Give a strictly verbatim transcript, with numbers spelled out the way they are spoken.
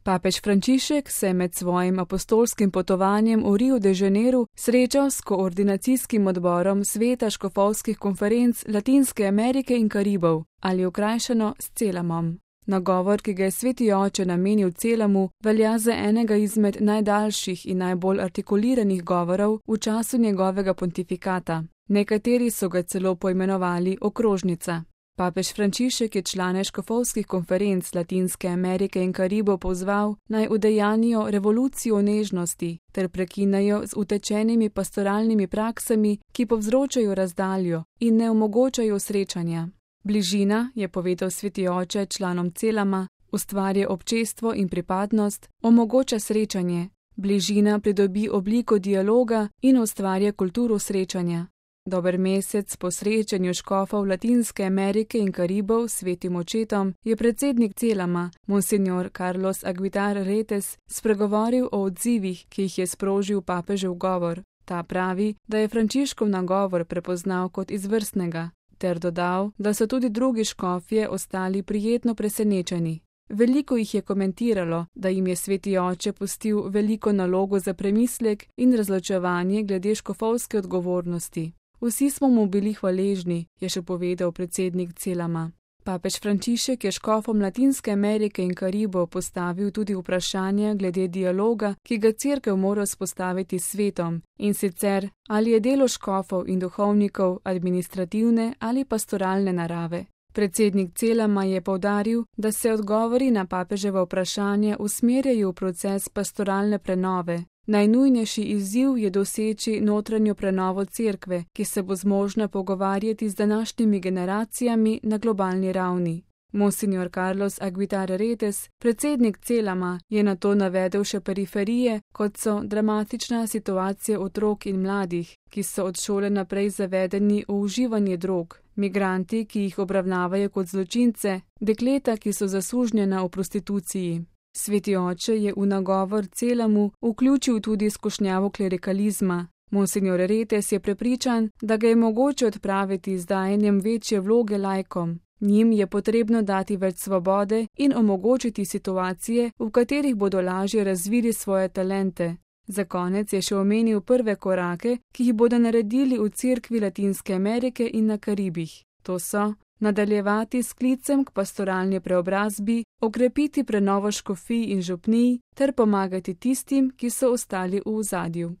Papež Frančišek se je med svojim apostolskim potovanjem v Rio de Janeiro srečal s koordinacijskim odborom Sveta škofovskih konferenc Latinske Amerike in Karibov, ali okrajšano s Celamom. Nagovor, ki ga je sveti oče namenil Celamu, velja za enega izmed najdaljših in najbolj artikuliranih govorov v času njegovega pontifikata. Nekateri so ga celo poimenovali okrožnica. Papež Frančišek je člane škofovskih konferenc Latinske Amerike in Karibov pozval, naj udejanijo revolucijo nežnosti ter prekinejo z utečenimi pastoralnimi praksami, ki povzročajo razdaljo in ne omogočajo srečanja. Bližina, je povedal sveti oče članom Celama, ustvarja občestvo in pripadnost, omogoča srečanje. Bližina pridobi obliko dialoga in ustvarja kulturo srečanja. Dober mesec po srečanju škofov Latinske Amerike in Karibov s svetim očetom je predsednik Celama, monsignor Carlos Aguilar Retes, spregovoril o odzivih, ki jih je sprožil papežev govor. Ta pravi, da je Frančiškov nagovor prepoznal kot izvrstnega, ter dodal, da so tudi drugi škofje ostali prijetno presenečeni. Veliko jih je komentiralo, da jim je sveti oče pustil veliko nalogo za premislek in razločevanje glede škofovske odgovornosti. Vsi smo mu bili hvaležni, je še povedal predsednik Celama. Papež Frančišek je škofom Latinske Amerike in Karibov postavil tudi vprašanje glede dialoga, ki ga cerkev mora vzpostaviti s svetom, in sicer, ali je delo škofov in duhovnikov administrativne ali pastoralne narave. Predsednik Celama je poudaril, da se odgovori na papeževo vprašanje usmerjajo v proces pastoralne prenove. Najnujnejši izziv je doseči notranjo prenovo cerkve, ki se bo zmožna pogovarjati z današnjimi generacijami na globalni ravni. Monsignor Carlos Aguilar Retes, predsednik Celama, je na to navedel še periferije, kot so dramatična situacija otrok in mladih, ki so od šole naprej zavedeni v uživanje drog, migranti, ki jih obravnavajo kot zločince, dekleta, ki so zasužnjena v prostituciji. Sveti oče je v nagovor Celamu vključil tudi skušnjavo klerikalizma. Monsignor Retes je prepričan, da ga je mogoče odpraviti z dajanjem večje vloge laikom. Njim je potrebno dati več svobode in omogočiti situacije, v katerih bodo lažje razvili svoje talente. Za konec je še omenil prve korake, ki jih bodo naredili v cerkvi Latinske Amerike in na Karibih. To so nadaljevati s klicem k pastoralni preobrazbi, okrepiti prenovo škofij in župnij ter pomagati tistim, ki so ostali v ozadju.